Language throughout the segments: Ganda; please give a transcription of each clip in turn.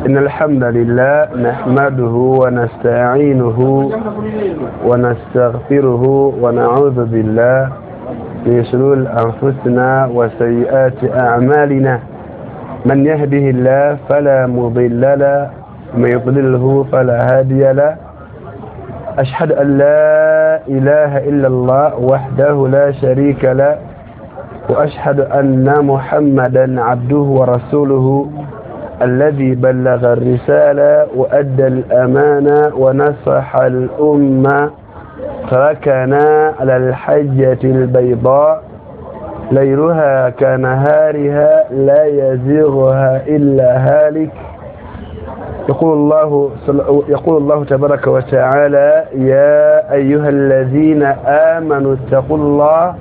إن الحمد لله نحمده ونستعينه ونستغفره ونعوذ بالله من شرور أنفسنا وسيئات أعمالنا، من يهده الله فلا مضل له ومن يضلله فلا هادي له. أشهد أن لا إله إلا الله وحده لا شريك له، وأشهد أن محمدا عبده ورسوله الذي بلغ الرسالة وأدى الأمانة ونصح الأمة، تركنا على الحجة البيضاء ليلها كنهارها لا يزيغها إلا هالك. يقول الله تبارك وتعالى: يا أيها الذين آمنوا اتقوا الله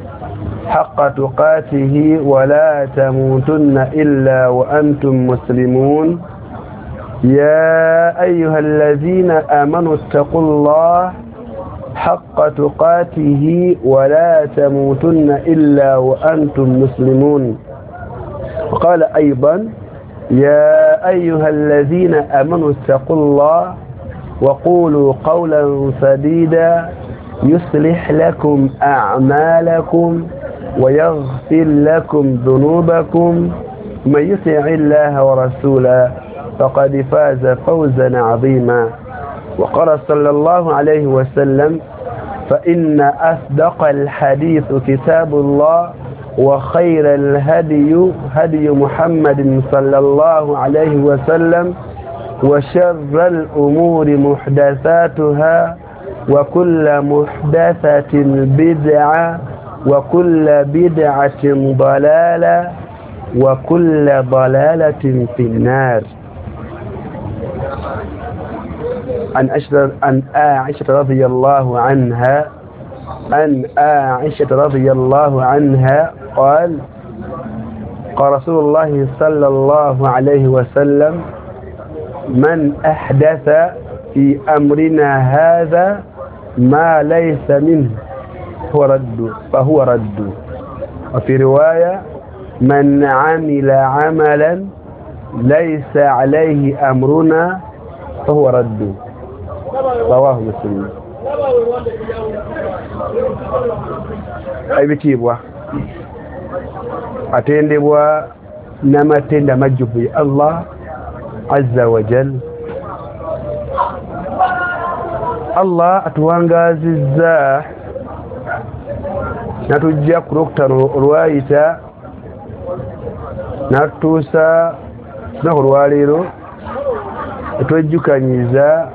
حق تقاته ولا تموتن إلا وأنتم مسلمون. يا أيها الذين آمنوا اتقوا الله حق تقاته ولا تموتن إلا وأنتم مسلمون. وقال أيضا: يا أيها الذين آمنوا اتقوا الله وقولوا قولا سديدا يصلح لكم أعمالكم ويغفر لكم ذنوبكم، من يطع الله ورسوله فقد فاز فوزا عظيما. وقال صلى الله عليه وسلم: فإن أصدق الحديث كتاب الله، وخير الهدي هدي محمد صلى الله عليه وسلم، وشر الأمور محدثاتها، وكل محدثة بدعة، وكل بدعة ضلالة، وكل ضلالة في النار. عن عائشة رضي الله عنها قال: قال رسول الله صلى الله عليه وسلم: من أحدث في أمرنا هذا ما ليس منه فهو رد. وفي رواية: من عمل عملا ليس عليه أمرنا فهو رد. رواه مسلم. Ebitiibwa atendebwa n'amatenda amajjuvu ya Allah azza wa jal. Allah atuwangaazizza natujja ku lwokutaano olwayita natutuusa lunaku olwaleero etwejjukanyiza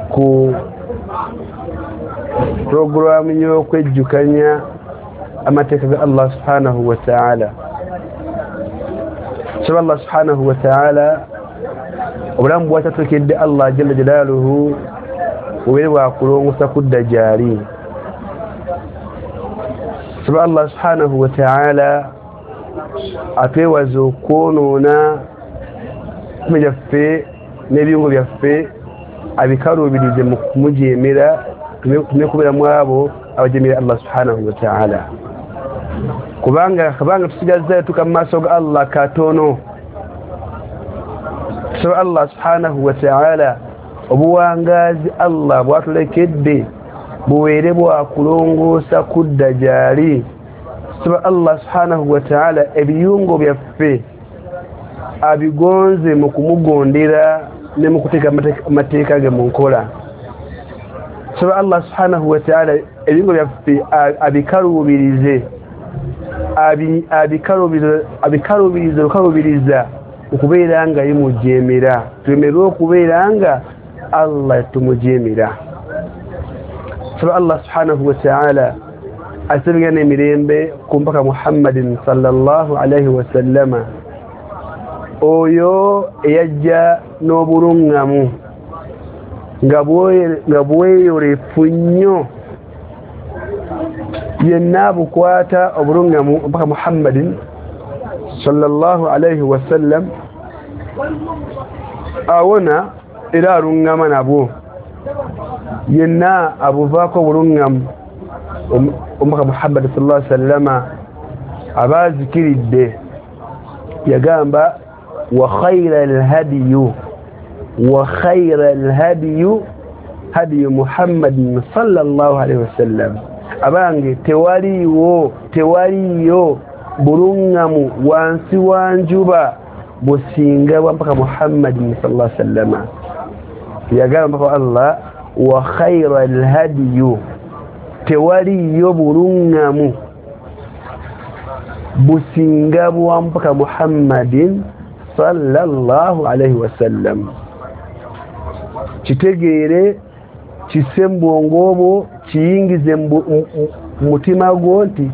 ku puroguraamu y'okwejjukanya amateeka ga Allah subhanahu wa ta'ala. Saba Allah subhanahu wa ta'ala obulamu bwatatulekedde Allah jalla jalaaluhu bubeere bwakulongosa kudda gy'ali. Saba Allah subhanahu wa ta'ala atwewaze okwonoona emitima gyaffe n'ebiyungo byaffe, abikaluubirize mu kumujeemera, tumekubeera mu abo abajeemera Allah subhanahu wa ta'ala. Kubanga tusigazza tuka mu maaso ga Allah katono. Tusaba Allah subhanahu wa ta'ala obuwangaazi Allah bwatulekedde bubeere bwakulongoosa kudda gy'ali. Tusaba Allah subhanahu wa ta'ala ebiyungo byaffe abigonze mu kumugondera ne mu kuteeka amateeka ge mu nkola. Tusaba Allah subhanahu wa ta'ala ebiyungo byaffe abikaluubirize abikaluubiriza okubeera nga yemujeemera, tulemerwe okubeera nga Allah tumujeemera. Tusaba Allah subhanahu wa ta'ala asibigane emirembe ku mpaka Muhammadin sallallahu alaihi wasallama, oyo eyajja n'obulungamu nga bweyolefu nnyo, yenna bukwata obulungamu mpaka Muhammadin sallallahu alaihi wasallam awona era alungama nabwo, yenna abuvaako obulungamu omubaka Muhammad sallallahu alaihi wasallama abazikiridde. Yagamba Wa khayra al-hadiyu wa khayra al-hadiyu hadiyu Muhammadin sallallahu alaihi wasallam. Abange tewaliyo bulungamu wansi wa njuba businga bwa mpaka Muhammadin sallallahu alaihi wasallam. Yagamba mpaka Allah wa khayra al-hadiyu, tewaliyo bulungamu businga bwa mpaka Muhammadin sallallahu alaihi wasallam. Kitegeere kisse mu bwongo bwo, kiyingize mu mutima gwo nti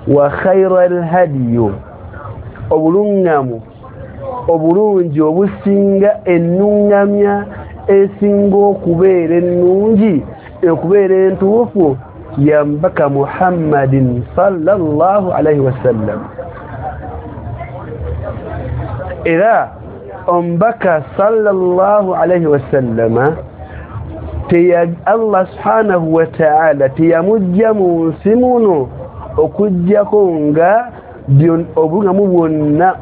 wa khayra al-hadiyu, obulungamu obulungi obusinga ennungamya esinga okubeera ennungi okubeera entuufu ya mbaka Muhammadin sallallahu alaihi wasallam. Era ombaka sallallahu alaihi wasallama Allah subhanahu wa ta'ala teyamujja mu nsi muno okujjako nga obulungamu bwonna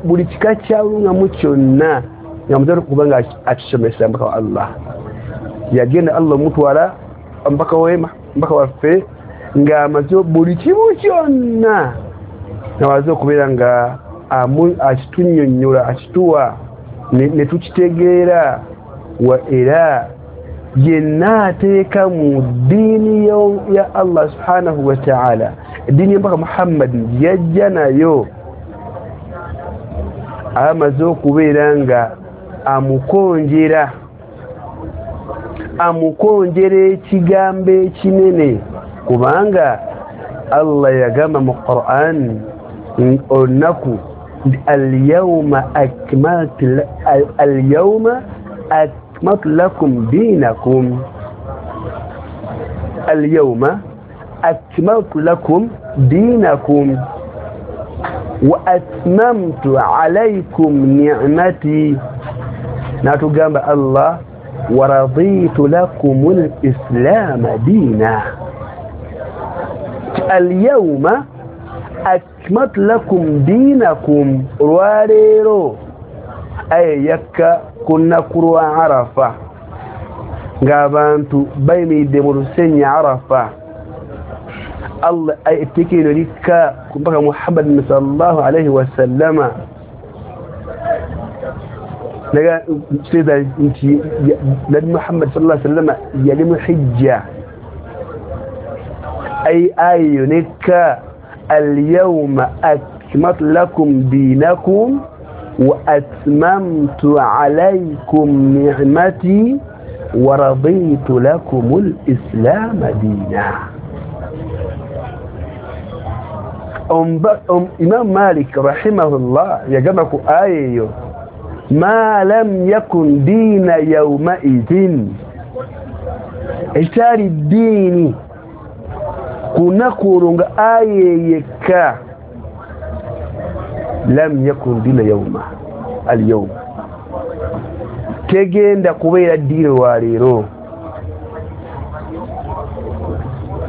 buli kika kya bulungamu kyonna nga mutera kubanga akisomesa mbaka wa Allah. Yagenda Allah mutwala mbaka wema mbaka waffe nga amaze buli kimu kyonna nawaze okubeera nga akitunnyonnyola akituwa ne tukitegeera. Wa era yenna ateeka mu ddiini ya Allah subhanahu wa ta'ala, eddiini y'empaka Muhammad yajja nayo, amaze okubeera nga amukonjera ekigambo ekinene, kubanga Allah yagamba mu Qur'an olunaku al-yawma akmaltu lakum dinakum, al-yawma akmaltu lakum dinakum wa atmamtu alaykum ni'mati. Natugamba Allah wa raditu lakum al-islam dina. Al-yawma akmaltu lakum dinakum, olwaleero aye yakka ku lunaku lwa Arafa ng'abantu bayimiridde mu lusenyi Arafa. Allah etteeka eryo likka ku mpaka Muhammadin sallallahu alaihi wasallama. Kitegeeza nti Nabbi Muhammad sallallahu alaihi wasallama yali mu hijja. Aye eyo nekka al-yawma akmaltu lakum dinakum wa atmamtu alaykum ni'mati wa raditu lakum al-islam dina. Imam Malik rahimahullah yagamba ku aya eyo ma lam yakun dina yawma idhin, ekitali ddiini ku lunaku olwo nga aya yekka, lam yakun dina yawma al-yawm, tegenda kubeera ddiini lwaleero.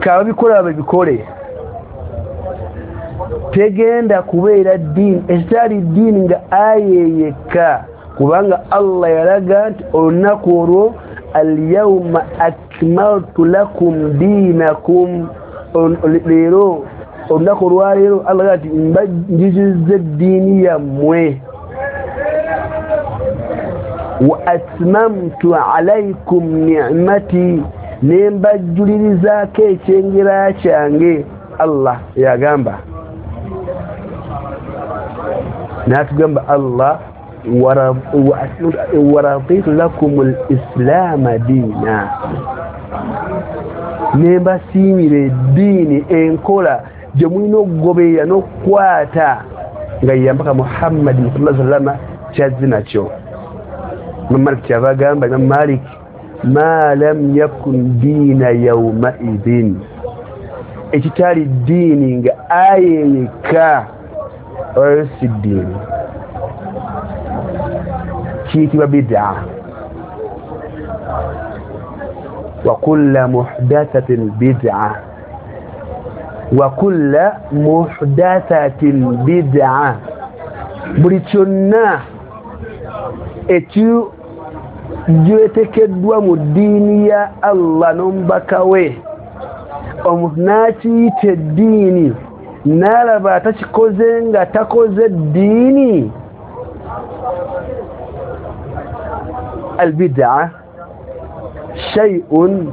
Kababikola babikole, tegenda kubeera ddiini ekitali ddiini nga aya yekka, kubanga Allah yalaga nti olunaku olwo al-yawma akmaltu lakum dinakum, leero olunaku olwaleero Allah ati njizizza eddiini yammwe, wa atmamtu alaykum ni'mati, ne mbajjulirizaako ekyengera kyange. Allah yagamba n'atugamba Allah wa raditu lakum al-islaama diina, ne mbasiimira eddiini enkola gye mulina okugoberera n'okukwata nga yambaka Muhammadin sallallahu alaihi wasallam kyazze nakyo. Imam Malik kyava agamba, Imam Malik ma lam yakun diina yawma idhin, ekitali ddiini nga aya yekka oyo si ddiini, kiyitibwa bid'a. Wa kulla muhdathatin bid'a, wa kulla muhdathatin bid'a, buli kyonna Ekigyetekeddwa mu ddiini ya Allah n'omubaka we, omuntu n'akiyita eddiini n'alaba atakikoze nga takoze ddiini, albid'a shay'un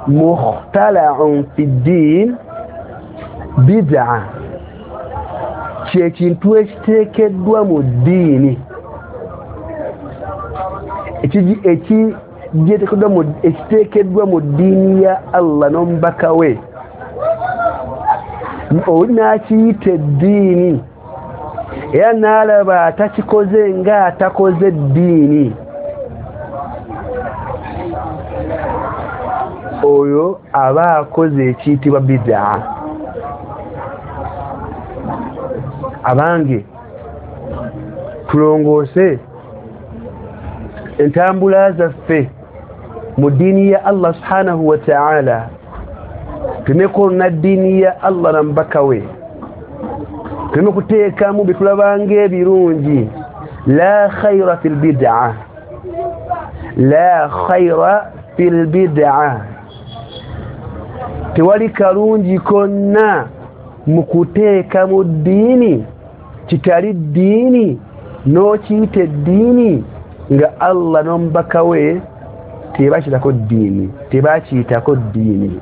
mukhtala'un fi ddin. Bid'a kyekintu ekiteekeddwa mu ddiini, ekiteekeddwa mu ddiini ya Allah n'omubaka we, oli n'akiyita eddiini era n'alaba atakikoze nga atakoze ddiini, oyo aba akoze ekiyitibwa bid'a. Abange, tulongoose entambula zaffe mu ddiini ya Allah subhanahu wa ta'ala, tuleme kwonona ddiini ya Allah na mubaka we, tuleme kuteekamu bye tulabanga ebirungi. La khayra fil bid'a, la khayra fil bid'a, tewali kalungi konna mu kuteeka mu ddiini kitali ddiini n'okiyita eddiini nga Allah n'omubaka we tebakiyitako ddiini, tebakiyitako ddiini.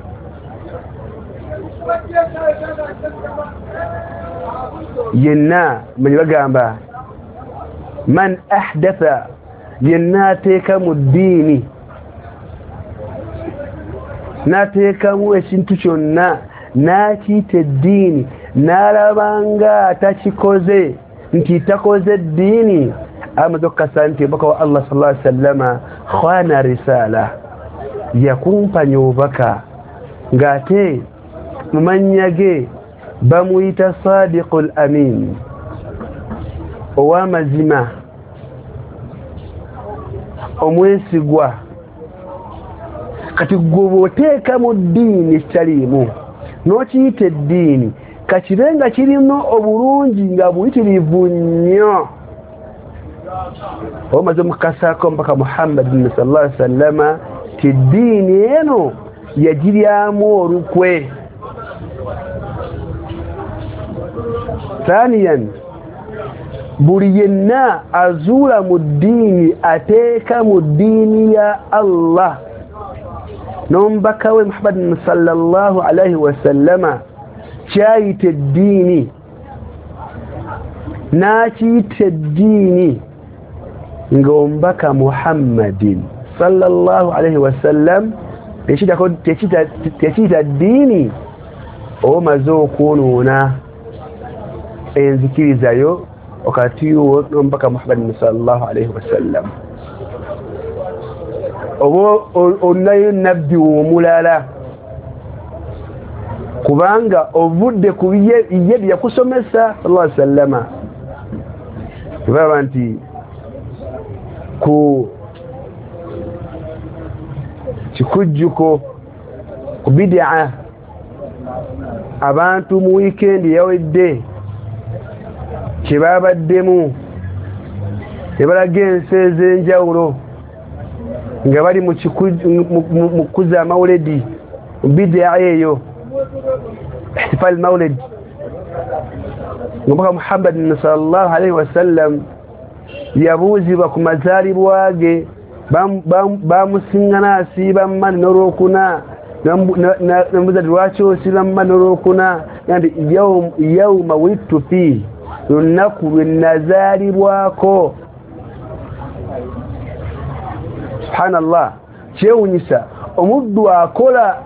Yenna manyi bagamba man ahdatha, yenna ateeka mu ddiini n'ateekamu ekintu kyonna n'akiyita eddiini n'alabanga atakikoze nti takoze eddiini, amaze okukasa nti omubaka wa Allah sallallahu alaihi wasallama khwana risala, yakumpanya obubaka ng'ate mu mannya ge bamuyita Sadiqul Amin, ow'amazima, omwesigwa. Kati gwe bw'oteeka mu ddiini ekitaliimu n'okiyita eddiini, kakibe nga kirimu obulungi nga buyitirivu nnyo, omaze omukasaako mpaka Muhammadin sallallahu alaihi wasallama ti eddiini eno yagiryamu olukwe. Thaniyan, buli yenna azuula mu ddiini ateeka mu ddiini ya Allah n'omubaka we Muhammadin sallallahu alaihi wasallama kyayita eddiini n'akiyita eddiini ng'omubaka Muhammadin sallallahu alaihi wasallam tekiyita ddiini, omaze okwonoona enzikirizayo wakati wo n'omubaka Muhammadin sallallahu alaihi wasallam, oba onayo nabbi omulala, kubanga ovudde ku ye bye yakusomesa sallallahu alaihi wasallama. Baba nti ku kikujjuko ku bid'a abantu mu weekend yawedde kye babaddemu ne balaga ensi ez'enjawulo nga bali mu kukuza amawuledi bid'a eyo ihtifal mawlid. Omubaka Muhammadin sallallahu alaihi wasallam yabuuzibwa ku mazaalibwa ge, bamusiŋŋana asiiba mmani n'olwokuna, namubuuza nti lwaki osiiba mmani n'olwokuna? Nti yawma wulidtu fiihi, lunaku lwe nazaalibwako. Subhanallah, kyewunyisa omuddu akola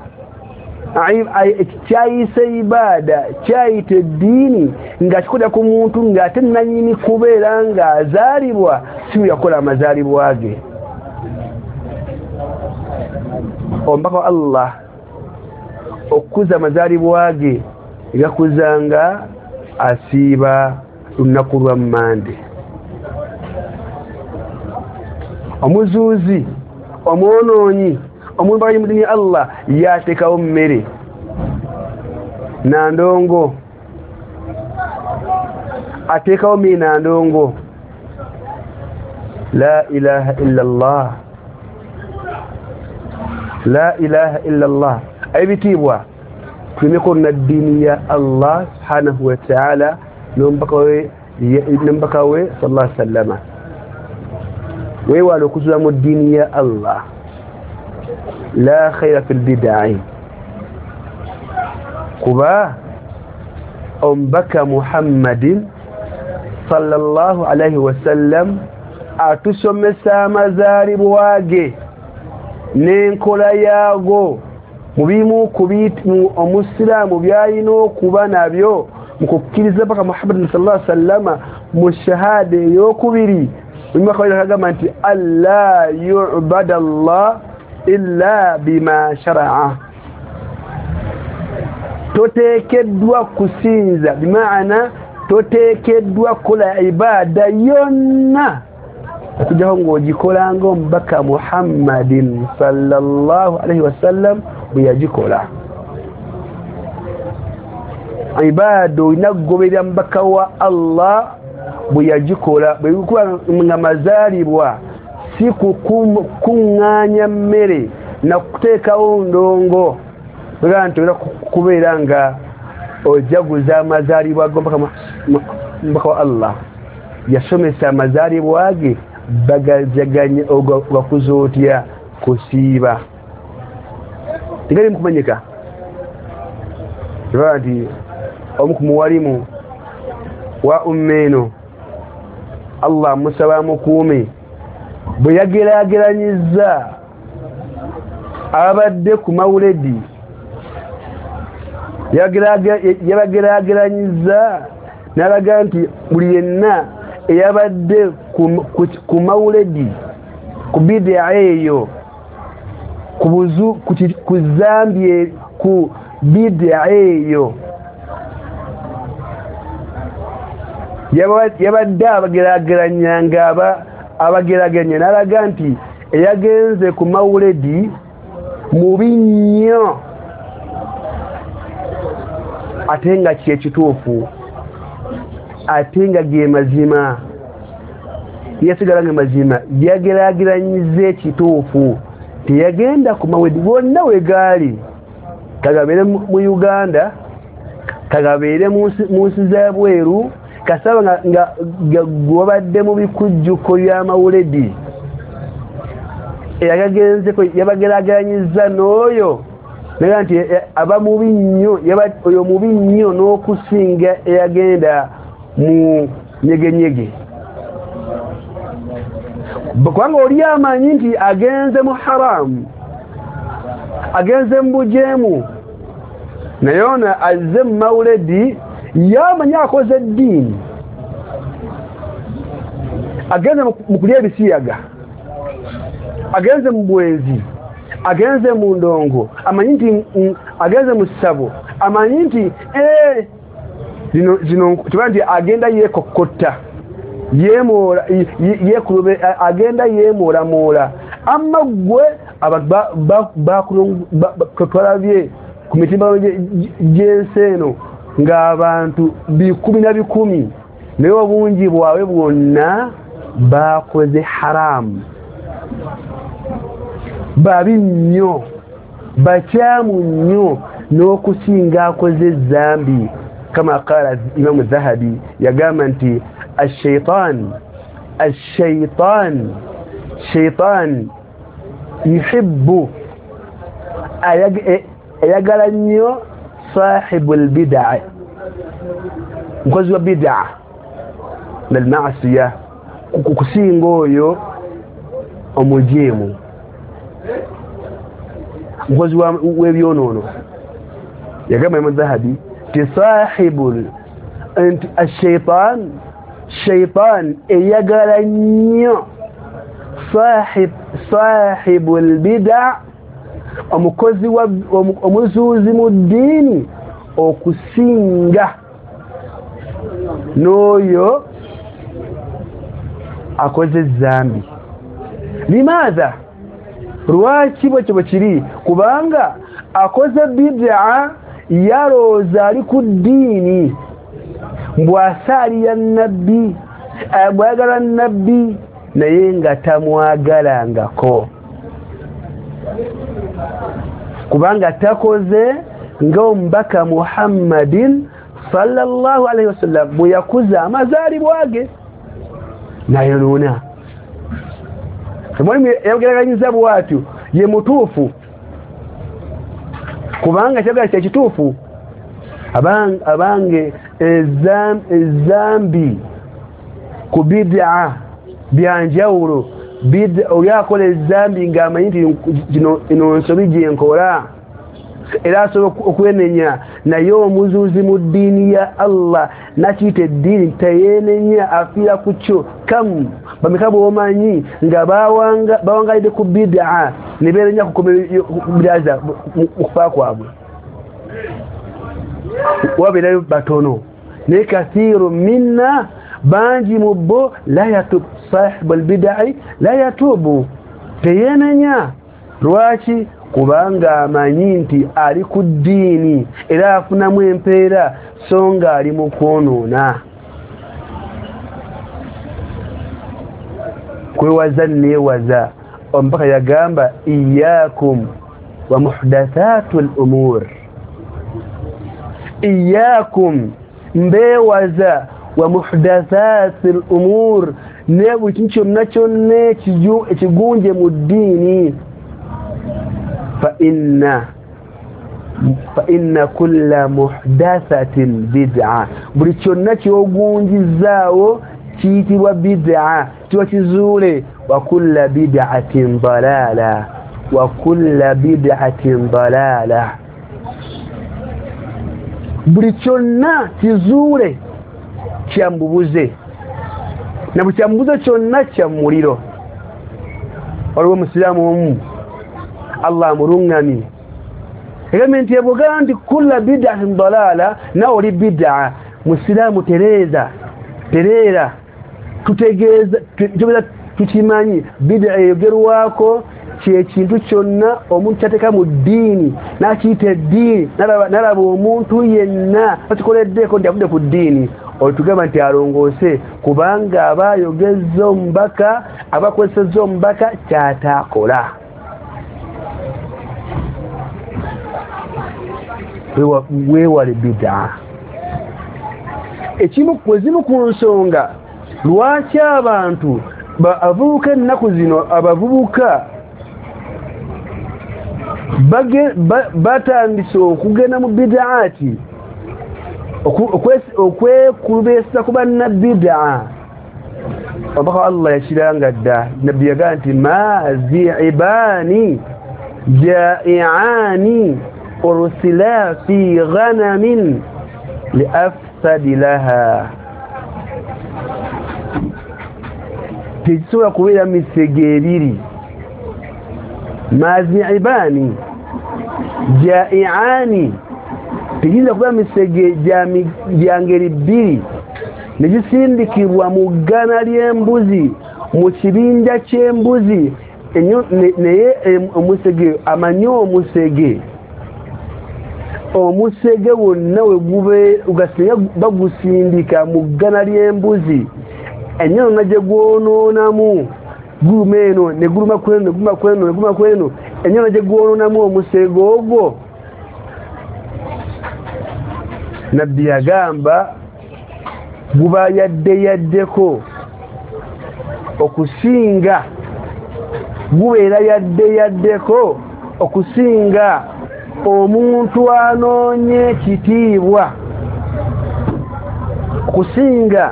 kyayise ibaada, kyayita eddiini ng'akikolera ku muntu ng'ate nannyini kubeera ng'azaalibwa si bwe yakola amazaalibwa ge. Omubaka wa Allah okukuza amazaalibwa ge gakuzanga asiiba lunaku lwa Mmande. Omuzuuzi, omwonoonyi, omuntu ali mu ddiini ya Allah yateekawo mmere nandongo, ateekawo mmere nandongo. La ilaha illa Allah, la ilaha illa Allah. Ebitiibwa tulimeko na ddiini ya Allah subhanahu wa ta'ala n'omubaka we sallallahu alaihi wasallama. Weewale okuzula mu ddiini ya Allah. La khaira fil bidai, kuba omubaka Muhammadin sallallahu alaihi wasallam atusomesa amazaalibwa ge n'enkola yaago mu bimu ku omusiraamu by'alina okuba nabyo mu kukkiriza paka Muhammadin sallallahu alaihi wasallama mu shahada ey'okubiri. Omubaka agamba nti alla yu'bada Allah illa bima shara'a, toteekeddwa kusinza, bimaana toteekeddwa kukola ibada yonna okujjako ng'ogikola ng'omubaka Muhammadin sallallahu alaihi wasallam bwe yagikola. Ibada olina kugoberera mubaka wa Allah bwe yagikola. Bwe nga mazaalibwa si kukuŋŋaanya mmere na kuteekawo ndongo bwega nti olina kubeera nga ojaguza amazaalibwa g'omubaka wa Allah. Yasomesa amazaalibwa ge bagajaganya ogakuza otya kusiiba tegali mukumanyika. Kiba nti omu ku muwalimu wa umma eno Allah musaba mukuume bwe yageraageranyizza abadde ku mawuledi, yabageraageranyizza n'alaga nti buli yenna eyabadde ku mawuledi ku bidaa eyo ku zambi ku bidaa eyo yabadde abageraageranya nga abageraageranya n'alaga nti eyagenze ku mawuledi mubi nnyo ate nga kyekituufu ate nga ge mazima. Yasigala nga mazima, yageraageranyiza ekituufu, teyagenda ku mawuledi wonna we gaali, kagabeere mu Uganda, kagabeere mu nsi z'ebweru, kasaba nga gwabadde mu bikujjuko by'amawuledi eyagagenzeko yabageraageranyiza n'oyo naga nti aba mubi nnyo, oyo mubi nnyo n'okusinga eyagenda mu nyegenyege, kubanga oli amanyi nti agenze mu haramu, agenze mu bujeemu, naye ono azze mu mawuledi yamanyi akoze eddiini, agenze mu kulya ebisiyaga, agenze mu bwenzi, agenze mu ndongo, amanyi nti agenze mu ssabo, amanyi nti zino kiba nti agenda yeekokkotta yeemoola agenda yeemoolamoola. Amma ggwe abantu twalabye ku mitimbagano gy'ensi eno ng'abantu bikumi na bikumi, naye obungi bwabwe bwonna bakoze haramu, babi nnyo, bakyamu nnyo n'okusinga akoze zambi. Kama qala Imamu Dhahabi, yagamba nti ashaitan shaitan yuhibbu, ayagala nnyo sahibul bid'a, mukozi wa bid'a nal ma'asiya, kusinga oyo omujeemu, mukozi w'ebyonoono. Yagamba Imamu Dhahabi ti sahibul nti ashaitan, shaitan eyagala nnyo sahibul bid'a, omukozi wa omuzuuzi mu ddiini okusinga n'oyo akoze zambi. Limaadha? Lwaki bwekyo bwe kiri? Kubanga akoze bid'a yalowooza ali ku ddiini, mbw'asaalira nabbi, bw'ayagala nabbi, naye nga tamwagalangako, kubanga takoze nga omubaka Muhammadin sallallahu alaihi wasallam bwe yakuza amazaalibwa ge nayonoona. Mwalimu yageraganyiza bw'atyo ye mutuufu, kubanga kyagala kye kituufu. Abange ezambi ku bid'a byanjawulo. Bid'a oyakola ezambi ng'amanyi nti ino nsobi gye nkola, era asobola okwenenya, naye omuzuuzi mu ddiini ya Allah nakiyita eddiini teyeenenya, afiira ku kyo. Kamu bameka b'omanyi nga bawangalidde ku bid'a ne beenenya ku bid'a mu kufa kwabwe, wabeerayo batono. Naye kathiru minna, bangi mu bo, la yatub sahibu albidai la yatubu, teyeenenya. Lwaki? Kubanga amanyi nti ali ku ddiini era afunamu empeera, so nga ali mu kwonoona. Kwewaza neewaza. Omubaka yagamba iyakum wa muhdathatu al-umur, iyakum, mbeewaza, wa muhdathati al-umur, ne buli kintu kyonna kyonna ekigunje mu ddiini. Fa inna kulla muhdathatin bid'a, buli kyonna kyogunjizaawo kiyitibwa bid'a, kiba kizuule. Wa kulla bid'atin dalala, wa kulla bid'atin dalala, buli kyonna kizuule kyambubuze, na buli kyambubuze kyonna kya muliro. Waliwo omusiraamu omu Allah amulungamye, egambye nti ebwogamba nti kulla bid'atin dalala, nawe oli bid'a. Musiraamu tereeza, tereera, tutegeeza tukimanyi bid'a eyogerwako kyekintu kyonna omuntu kyateeka mu ddiini n'akiyita eddiini, n'alaba omuntu yenna akikoleddeko nti avudde ku ddiini, olutugamba nti alongoose, kubanga aba ayogezza omubaka, aba akozesezza omubaka ky'ataakola. Weewale bid'a. Ezimu ku nsonga lwaki abantu abavubuka ennaku zino, abavubuka batandise okugenda mu bid'aati, okwekulubeesa ku bannabid'a. Omubaka Allah yakiranga dda, nabbi yagamba nti ma zi'ibani ja'i'ani ursila fi ghanamin li afsadi laha, tekisobola kubeera misege ebiri. Mazi'ibani ja'i'ani, tegiyinza kubeera misege gya ngeri bbiri ne gisindikibwa mu ggana ly'embuzi, mu kibinja ky'embuzi, naye omusege amanyi omusege, omusege wonna we gusinga bagusindika mu ggana ly'embuzi, ennyonona gye gwonoonamu guluma eno ne guluma kweno ne guluma kweno ne guluma kweno, ennyonona gye gwonoonamu omusege ogwo. Nabbi yagamba guba yadde yaddeko okusinga, gubeera yadde yaddeko okusinga omuntu anoonye ekitiibwa, okusinga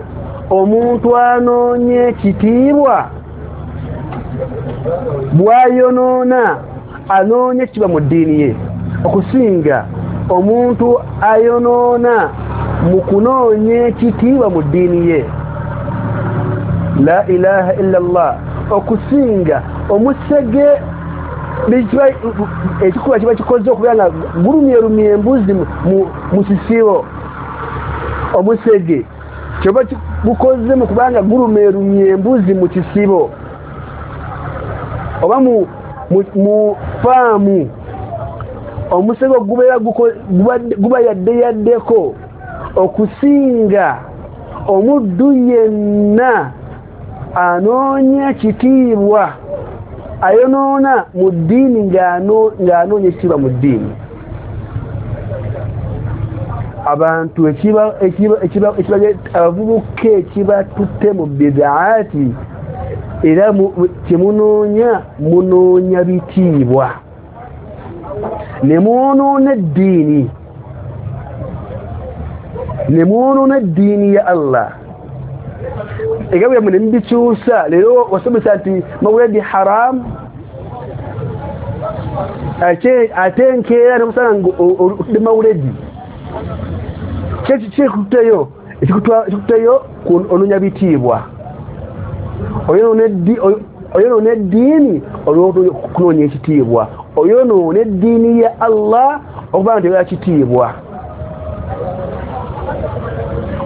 omuntu anoonye ekitiibwa bw'ayonoona anoonye ekitiibwa mu ddiini ye, okusinga omuntu ayonoona mu kunoonya ekitiibwa mu ddiini ye. La ilaha illa Allah, okusinga omusege ekikuba kiba kikoze okubeera nga gulumyerumye embuzi mu kisibo, omusege kyoba gukoze mu kubanga gulumerumye embuzi mu kisibo oba mu faamu, omusege gubeera guba yadde yaddeko okusinga omuddu yenna Anoonya kitiibwa, ayonoona mu ddiini ng'anoonya ekitiibwa mu ddiini. Abantu abavubuka ekibatutte mu bidaati, era kyemunoonya munoonya bitiibwa, ne mwonoona eddiini, ne mwonoona eddiini ya Allah. Egabe byammwe ne mubikyusa. Leero wasomesa nti mawuledi haramu, ate enkeera nemusanga nga otudde mawuledi. Kyekikuteyo ekikuteyo onoonya bitiibwa, oyonoona eddiini olw'okunoonya ekitiibwa, oyonoona eddiini ya Allah okuba nga tebera kitiibwa.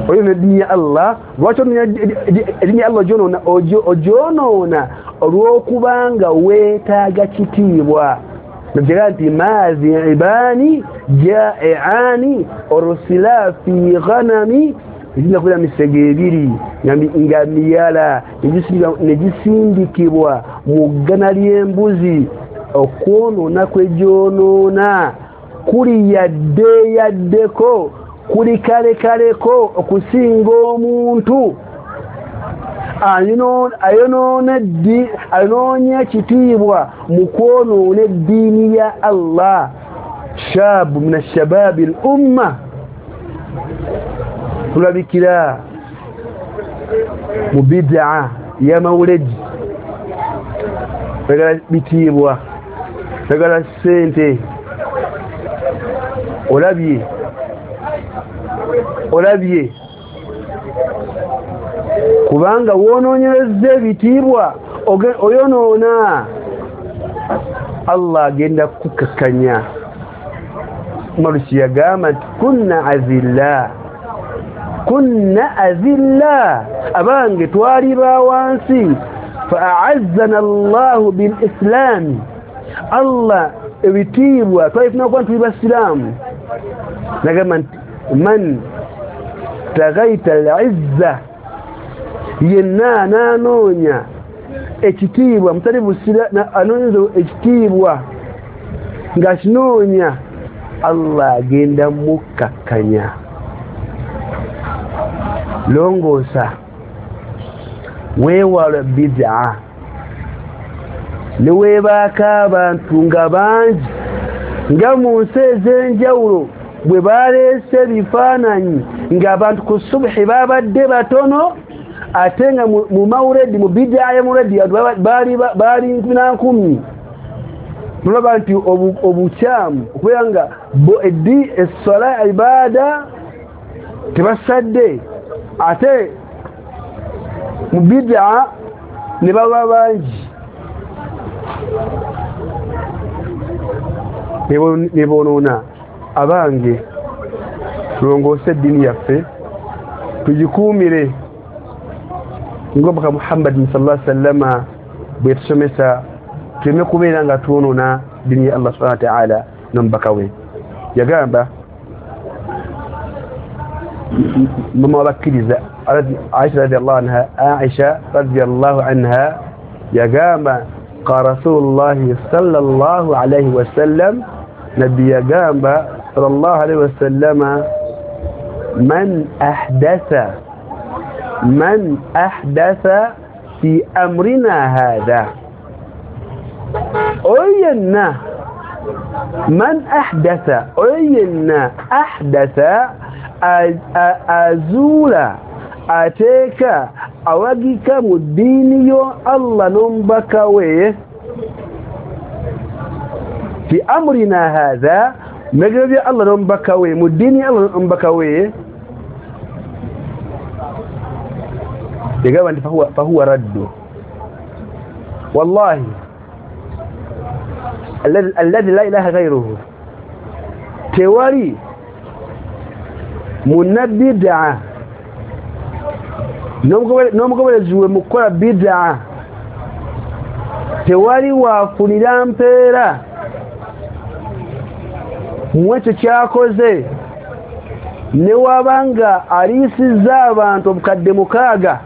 Oyonoona eddiini ya Allah. Lwaki onoonya eddiini ya Allah? Ogyonoona olw'okubanga weetaaga kitiibwa. Nabigamba nti maziibani jaiani orsila fi ghanami, egiyinza kubeera misege ebiri nga miyala negisindikibwa mu ggana ly'embuzi. Okwonoona kwegyonoona kuli yadde yaddeko, kuli kalekaleko okusinga omuntu ayonoonya ekitiibwa mu kwonoona eddiini ya Allah. Shabu min ashababi al umma, tulabikira mu bidaa ya mawuledi, twagala bitiibwa, twagala ssente. Olabye kubanga wonoonyereza ebitiibwa oyonoona, Allah agenda kukakkanya. Umaru yagamba nti kunna azilla, abange twali ba wansi, fa a'azzana Allahu bil Islam, Allah ebitiibwa twalifuna kuba tuli basiraamu. Nagamba nti man tagaita al-izza, yenna ananoonya ekitiibwa mutali busira, anoonyeza ekitiibwa ng'akinoonya, Allah agenda mukkakkanya. Longoosa, weewala bid'a, ne weebaako abantu nga bangi nga mu nsi ez'enjawulo bwe baleese ebifaananyi ng'abantu ku subuhi babadde batono, ate nga mu mawuledi mu bid'a ya mawuledi baali 1,000. Tulaba nti obukyamu okubeera nga eddi esswala ibaada tebasadde, ate mu bid'a ne baba bangi ne bonoona. Abange, tulongoose eddiini yaffe, tugikuumire ng'omubaka Muhammadin sallallahu alaihi wasallama bwe yatusomesa, tuleme kubeera nga twonoona ddiini ya Allah subhanahu wa ta'ala n'omubaka we. Yagamba mama wabakkiriza Aisha radiyallahu anha, Aisha radiyallahu anha yagamba qala Rasulullahi sallallahu alaihi wasallam, nabbi yagamba sallallahu alaihi wasallama, man ahdatha fi amrina hadha, oyenna man ahdatha, oyenna ahdatha azuula ateeka awagika mu ddiini yo Allah n'omubaka we, fi amrina hadha, mubiragiro bya Allah n'omubaka we, mu ddiini ya Allah n'omubaka we, yagamba nti fahuwa raddu. Wallahi alladhi la ilaha ghayruhu, tewali munabbidaa n'omugoberezi we mu kukola bidaa, tewali waafunira mpeera mu ekyo kyakoze, ne waba nga aliisizza abantu obukadde 6.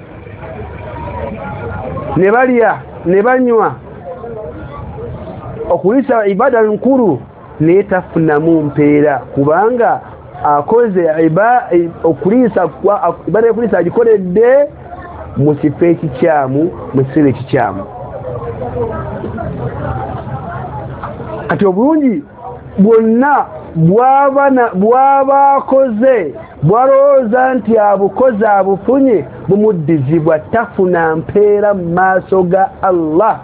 Ne balya ne banywa okuliisa ibada nkulu naye tafunamu mpeera kubanga akoze okuliisa ibada y'okuliisa agikoledde mu kifo ekikyamu mu kiseera ekikyamu. Kati obulungi bwonna bwaba akoze bwalowooza nti abukoze abufunye bumuddizibwa tafuna mpeera mu maaso ga Allah.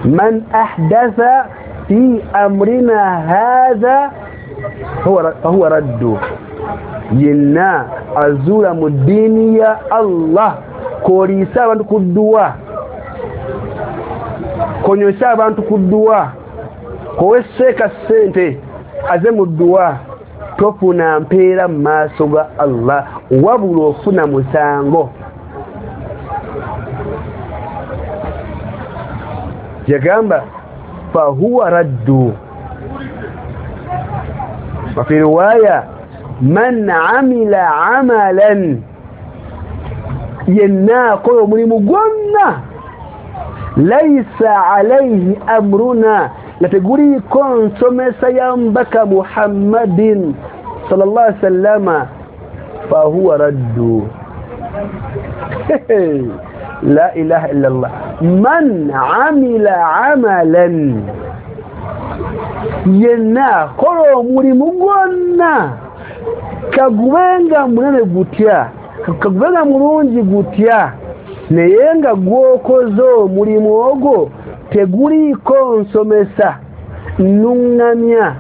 Man ahdatha fi amrina hadha fahuwa raddu, yenna azuula mu ddiini ya Allah k'oliisa abantu ku dduwa, konywesa abantu ku dduwa, koweseeka ssente aze mu dduwa, tofuna mpeera mu maaso ga Allah wabula ofuna musango. Yagamba fahuwa raddu. Wa fi riwaya man amila amalan, yenna akola omulimu gwonna laisa alayhi amruna, nga teguliiko nsomesa ya mbaka Muhammadin sallallahu alaihi wasallama fahuwa raddu. La ilaha illa Allah. Man amila amalan, yenna akola omulimu gwonna kagubenga munene gutya kagubenga mulungi gutya naye nga gwokoze omulimu ogwo teguliiko nsomesa nnuŋŋamya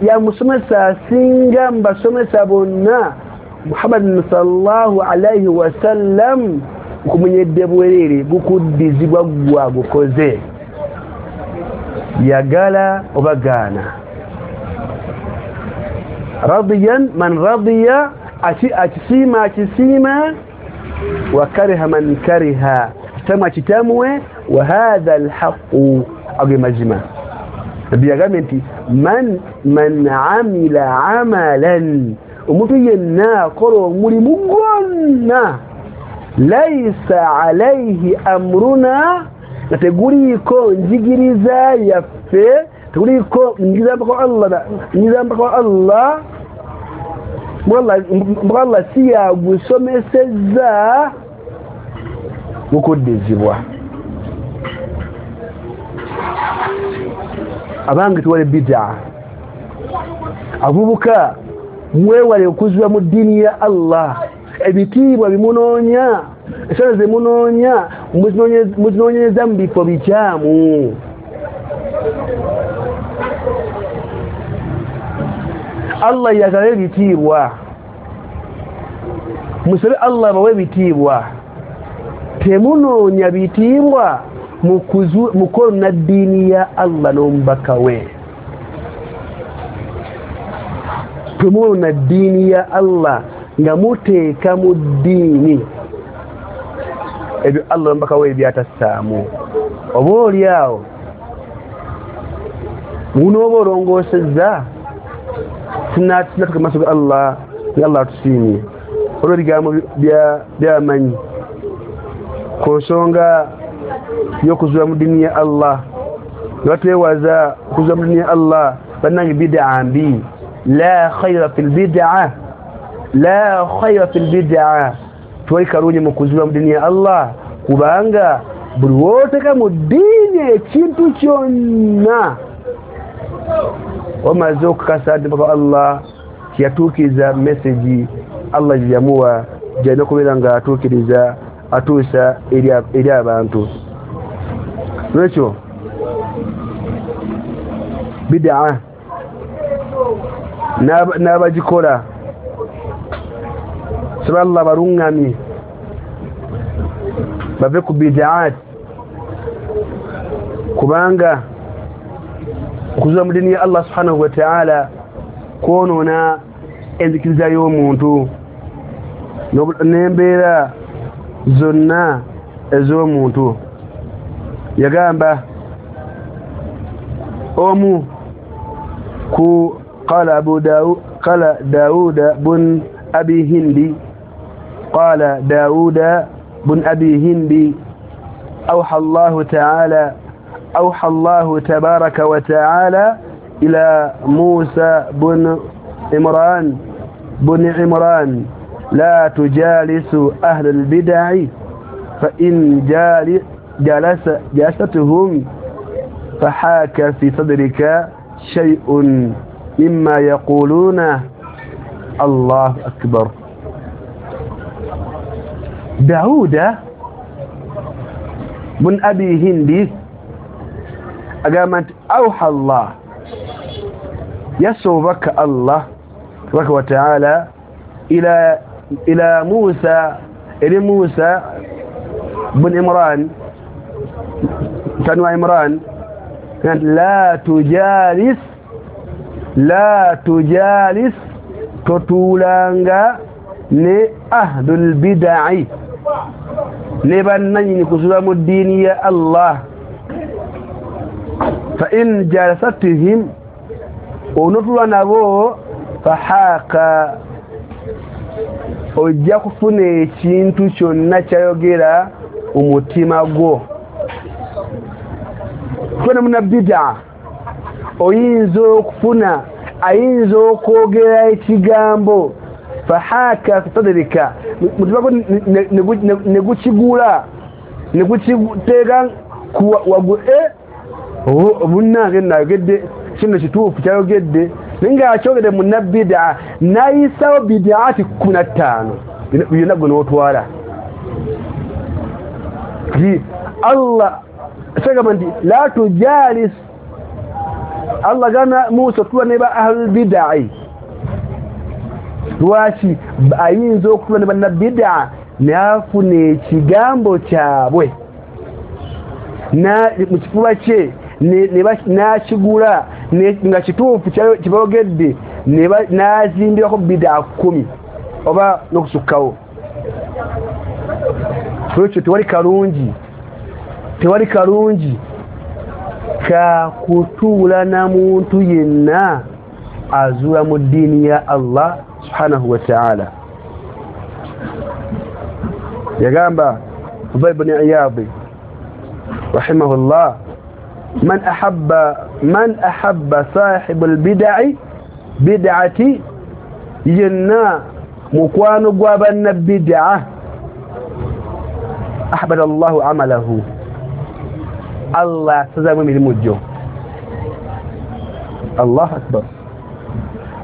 ya musomesa asinga mbasomesa bonna Muhammadin sallallahu alaihi wasallam, nkumenyedde bwereere gukuddizibwa gwa gukoze yagala oba gaana. Radiyan man radiya, akisiima akisiima, wa kariha man kariha, kitamwa kitamwe, wa hadha alhaqu, ago mazima. Nabbi yagambye nti man amila amalan, omuntu yenna akola omulimu gwonna laisa alaihi amruna, nga teguliiko njigiriza yaffe, teguliiko njigiriza mpaka Allah, njigiriza mpaka Allah, mpaka Allah si yagusomesezza gukuddizibwa. Abange tuwale bid'a, abavubuka mwewale okuzibwa mu ddiini ya Allah. Ebitiibwa bimunoonya, esala zemunoonya muzinoonyereza mu bifo bikyamu. Allah yagala ebitiibwa, musabe Allah bawe ebitiibwa. Temunoonya bitiibwa mukwonona ddiini ya Allah n'omubaka we. Temunona ddiini ya Allah nga muteeka mu ddiini ebyo Allah n'omubaka we byatassaamu. Oba oli awo munooba olongoosezza tunatuka maaso ga Allah nga Allah atusiimye olw'ebigambo by'amanyi ku nsonga y'okuzuula mu ddiini ya Allah. Nga batwewaza okuzuula mu ddiini ya Allah, bannange bid'a mbi. La khayra fil bid'a, la khayra fil bid'a, tewali kalungi mu kuzuula mu ddiini ya Allah, kubanga buli w'oteeka mu ddiini ekintu kyonna omaze okukakasa nti mpaka Allah tiyatuukiriza mesegi Allah gye yamuwa gy'alina okubeera nga atuukiriza atuusa eri abantu. Lwekyo bid'a n'abagikola saba Allah baluŋŋamye bave ku bid'at, kubanga okuzuula mu ddiini ya Allah subhanahu wa ta'ala kwonoona enzikiriza y'omuntu n'embeera zonna ez'omuntu. Yagamba omu ku qala Abu Daud, qala Dauda bun Abi Hindi, qala Dauda بن أبي هند أوحى الله تعالى أوحى الله تبارك وتعالى إلى موسى بن عمران بن عمران لا تجالس أهل البدع فإن جالستهم فحاك في صدرك شيء مما يقولون. الله أكبر. داود بن أبي هندي أقامت أوحى الله يسوبك الله تبارك وتعالى إلى موسى إلى موسى بن عمران كانوا عمران كانت لا تجالس لا تجالس totulanga ne ahlul bid'i ne bannanyini kusula mu ddiini ya Allah fa in jalasatihim onotula nabo fahaka ojja kufuna ekintu kyonna kyayogera omutima gwo. Funa muna bid'a oyinza okufuna ayinza okwogera ekigambo fahaka fi sadrika mutima gwo negukigula negukiteeka wagu bunnange nayogedde kino kituufu kyayogedde naye ng'akyogedde munna bid'a n'ayisawo bid'ati 15 byonna gwe n'otwala. Kati Allah sagamba nti la tujalis Allah gana Musa tuwa ne ba ahlul bid'i lwaki ayinza okutula ne banna bid'a n'afuna ekigambo kyabwe na mu kifuba kye n'akigula nga kituufu kiboogedde n'azimbirako bid'a 10 oba n'okusukkawo. Ekyo tewali kalungi tewali kalungi ka kutuula na muntu yenna azuula mu ddiini ya Allah subhanahu wa ta'ala. Yagamba Fudayl ibn Iyad rahimahullah man ahabba sahibul bid'i bid'ati yenna mukwano gwa banna bid'a ahbada Allahu amalahu Allah sazamu emirimu gyo. Allah akbar.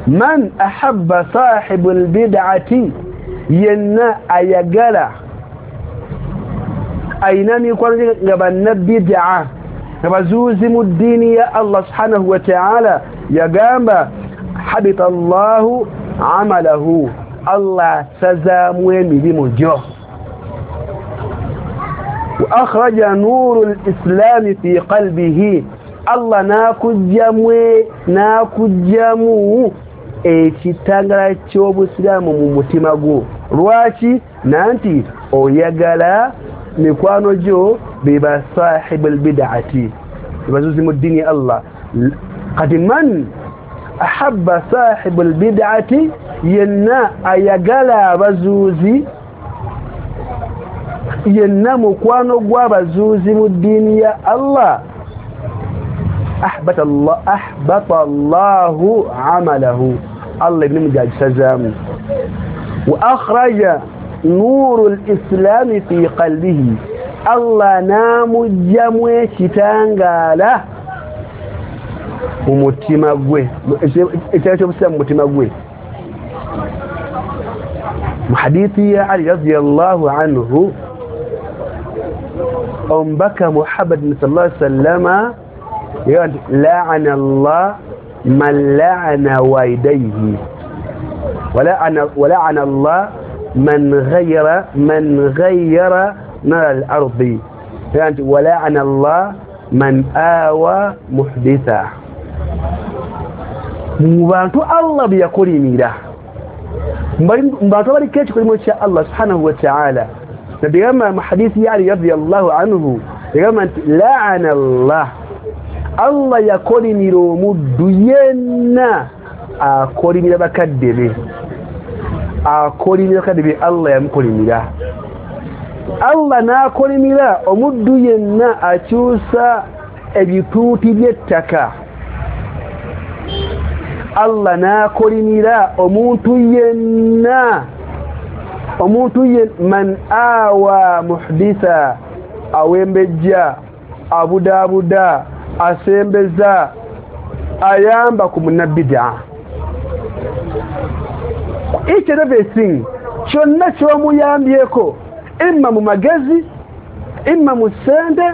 Man ahabba sahibul bid'ati yenna ayagala ayina mikwano nga banna bid'a nga bazuuzi mu ddiini ya Allah subhanahu wa ta'ala yagamba habita Allahu amalahu Allah sazaamu emirimu gyo. Wa akhraja nuru al-islam fi qalbihi Allah nakujjamu ekitangala ky'obusiraamu mu mutima gwo. Lwaki? Nanti oyagala mikwano gyo biba sahibul bid'ati bazuzi mu ddiini ya Allah. Kati man ahabba sahibul bid'ati yenna ayagala abazuuzi yenna mukwano gw'abazuuzi mu ddiini ya Allah ahbata Allahu amalahu Allah ibn mujajisazamu wa akhraja nuru al-islam fi qalbihi Allah namujjamu ekitangala mu mutima gwe ekitangala ky'obusiraamu mu mutima gwe. Mu hadithi ya Ali radiyallahu anhu omubaka Muhammad sallallahu alaihi wasallama la'ana Allah man la'ana walidayhi wa la'ana Allah man ghayyara nar al-ardi yani wa la'ana Allah man awa muhditha. Mu bantu Allah byakolimira mu bantu baliko ekikolimo kya Allah subhanahu wa ta'ala. Nabigamba mu hadithi ya Ali radiyallahu anhu yagamba nti la'ana Allah Allah yakolimira omuddu yenna akolimira bakadde be akolimira bakadde be Allah yamukolimira. Allah n'akolimira omuddu yenna akyusa ebituuti by'ettaka. Allah n'akolimira omuntu yenna, omuntu man awa muhditha, awembejja, abudaabuda, asembeza, ayamba ku munnabbidaa. Each and everything kyonna ky'omuyambyeko, imma mu magezi, imma mu ssente,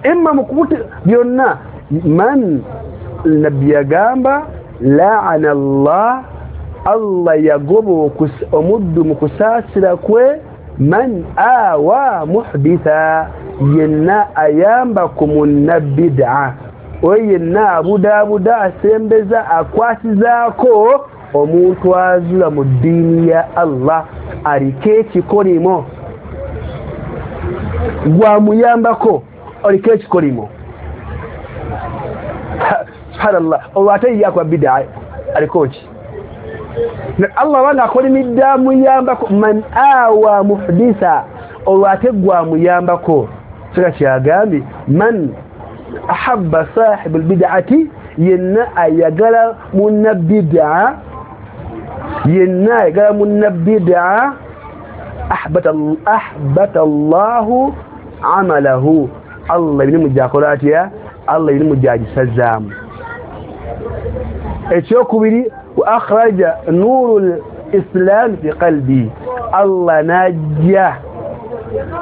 imma mu kubuti, byonna. Man, nabbi yagamba laana Allah, Allah yagoba omuddu mu kusaasira kwe, man awa muhditha, yenna ayamba ku munnabidaa, oyo yenna abudaabuda, asembeza, akwasizaako omuntu azula mu ddiini ya Allah, aliko ekikolimo, gwamuyambako oliko ekikolimo. Subhanallah, olwo ate ye akola bidaa aliko ki? Allah banga akolimidde amuyambako, man awa muhditha, olwo ate gwamuyambako. Sika kyagambye man ahabba sahibu albid'ati, yenna ayagala munnabidaa, yenna ayagala munnabidaa, ahbata Allahu amalahu, Allah emirimu gyakola atya? Allah emirimu gyagisazaamu. Ekyokubiri, wa akhraja nuru lislam fi qalbi, Allah n'ajja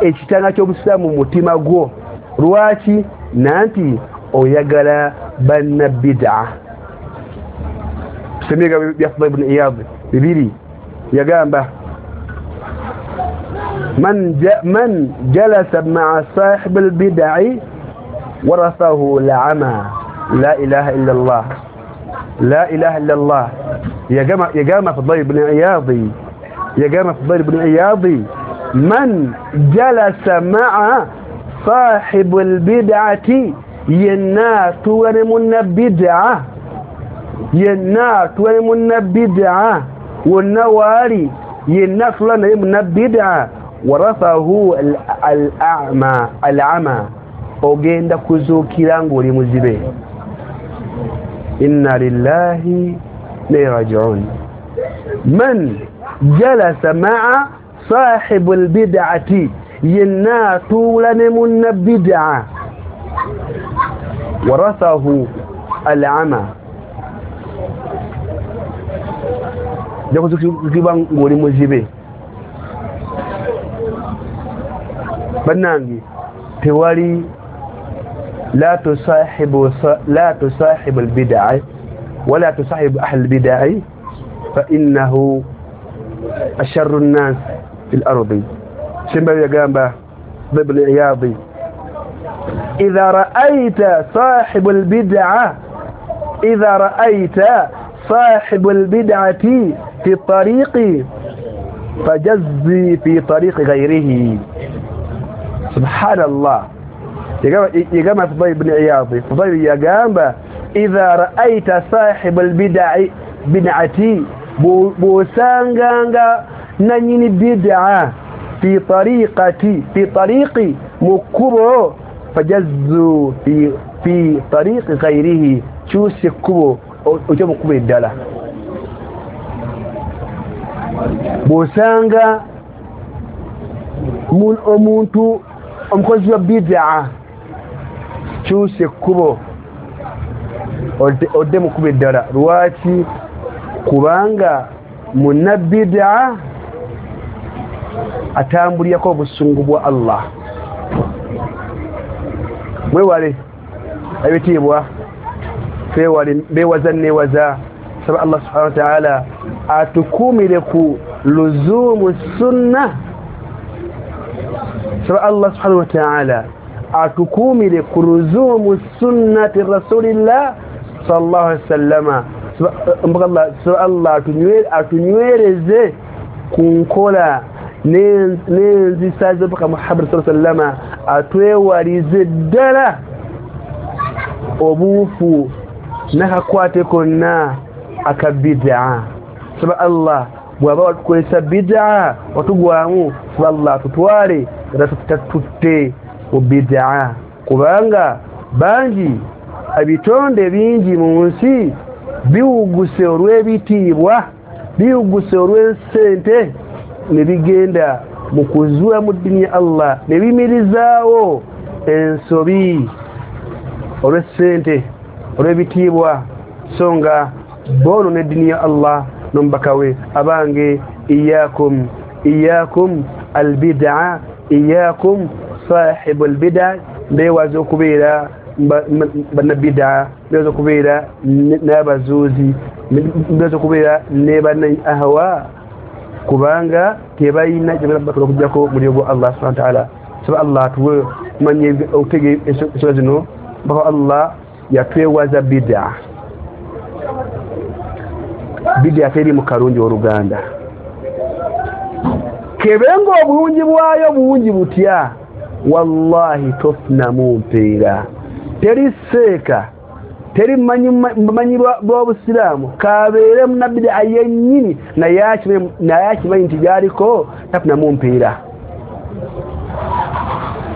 ekitanga ky'obusiraamu mu mutima gwo. Lwaki? Nanti oyagala bannabidaa. Semiga bya Fudayl ibn Iyad bibiri yagamba man jalasa ma'a sahib al-bid'i warathahu al-'ama. La ilaha illa Allah, la ilaha illa Allah. Yagamba Fudayl ibn Iyad, yagamba Fudayl ibn Iyad, man jalasa ma'a sahib al-bid'ati, yenna atuula ne munnabidaa, yenna atuula ne munnabidaa, wonna waali yenna atuula naye munnabidaa, warathahu al-a'ma, al-'ama, ogenda kuzuukira ng'oli muzibe. Inna lillahi wa inna raji'un. Man jalasa ma'a sahibu al-bid'ati, yenna atuula ne munnabidaa, warathahu al-'ama, jakuzuukibwa ng'oli muzibe. Bannange, tewali la tusahibu al-bid'a wala tusahibu ahli al-bid'a fa innahu asharru an-nas fil ardi. Simba yagamba Ibn Iyad, idha ra'aita sahibu al-bid'a, idha ra'aita sahibu al-bid'ati fi tariqi fajazzi fi tariqi ghayrihi. Subhanallah. Yagamba Fudayl ibn Iyad, Fudayl yagamba idha ra'aita sahibu al-bid'i bid'ati, bw'osanganga nanyini bid'a fi tariqati, fi tariqi, mu kkubo, fajazzu fi tariqi ghayrihi, kyusa ekkubo ojje mu kkubo eddala. Bw'osanga omuntu omukozi wa bid'a, kyusa ekkubo odde mu kkubo eddala. Lwaki? Kubanga munnabidaa atambulyako obusungu bwa Allah. Mwewale ebitiibwa, twewale beewaza neewaza. Saba Allah subhanahu wa ta'ala atukuumire ku luzumu sunna. Saba Allah subhanahu wa ta'ala atukuumire ku luzumu sunnati rasulillah sallallahu alaihi wasallama. Saba Allah atunywereze ku nkola n'enzisa z'omubaka Muhammad sallallahu alaihi wasallama, atwewalize ddala obuufu n'akakwate konna akabidaa. Saba Allah Bw'aba watukozesa bid'a watugwamu, saba Allah tutwale era tutatutte mu bid'a, kubanga bangi ebitonde bingi mu nsi biwuguse olw'ebitiibwa, biwuguse olw'ensente, ne bigenda mu kuzuula mu ddiini ya Allah, ne biyimirizaawo ensobi olw'essente, olw'ebitiibwa, so nga boonoona eddiini ya Allah n'omubaka we. Abange, iyakum iyakum albid'a, iyakum sahibu albid'a, mbeewaza okubeera bannabid'a, mbeewaza okubeera n'abazuuzi, mbeewaza okubeera ne banna ahwa, kubanga tebalina gye bakola okuggyako muliro gwa Allah subhanahu wa ta'ala. Saba Allah atuwe kumanya okutegeera ensonga zino. Mpaka Allah yatwewaza bid'a. Bid'a teri mu kalungi oluganda, kebenga obulungi bwayo bungi butya, wallahi tofunamu mpeera. Teri seeka, teri manyi bw'obusiraamu kabeere munnabid'a yennyini naye akimanyi nti byaliko tafunamu mpeera.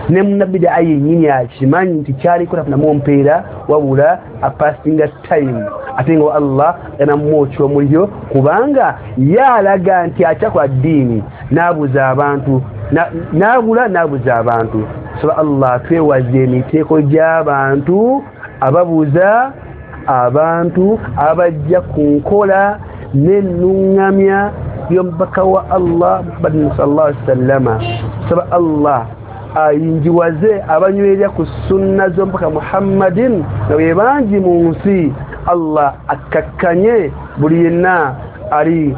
Ne munnabid'a yennyini akimanyi nti kyaliko tafunamu mpeera, wabula apasinga time, ate nga Allah anamwokya omuliro, kubanga yalaga nti akyakola ddiini n'abuza abantu, n'abula n'abuza abantu. Saba Allah twewaze emiteeko gy'abantu ababuza abantu, abajja ku nkola n'ennuŋŋamya y'omubaka wa Allah Muhammadin sallallahu alaihi wasallama. Saba Allah ayinjiwaze abanywerera ku sunna z'omubaka Muhammadin nga be bangi mu nsi. Allah akkakkanye buli yenna ali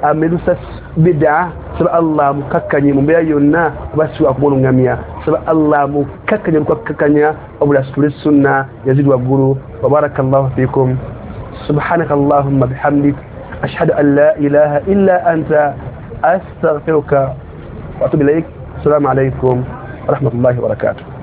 amerusa bid'a. Saba Allah mukakkanye mu mbeera yonna kuba si wakumuluŋŋamya. Saba Allah mukakkanye mukakkakkanya wabula situle sunna yazidi waggulu. Wa barakallahu fikum. Subhanaka allahumma bihamdik, ashhadu an la ilaha illa anta, astaghfiruka wa atubu ilaik. Assalamu alaikum wa rahmatullahi wa barakatuh.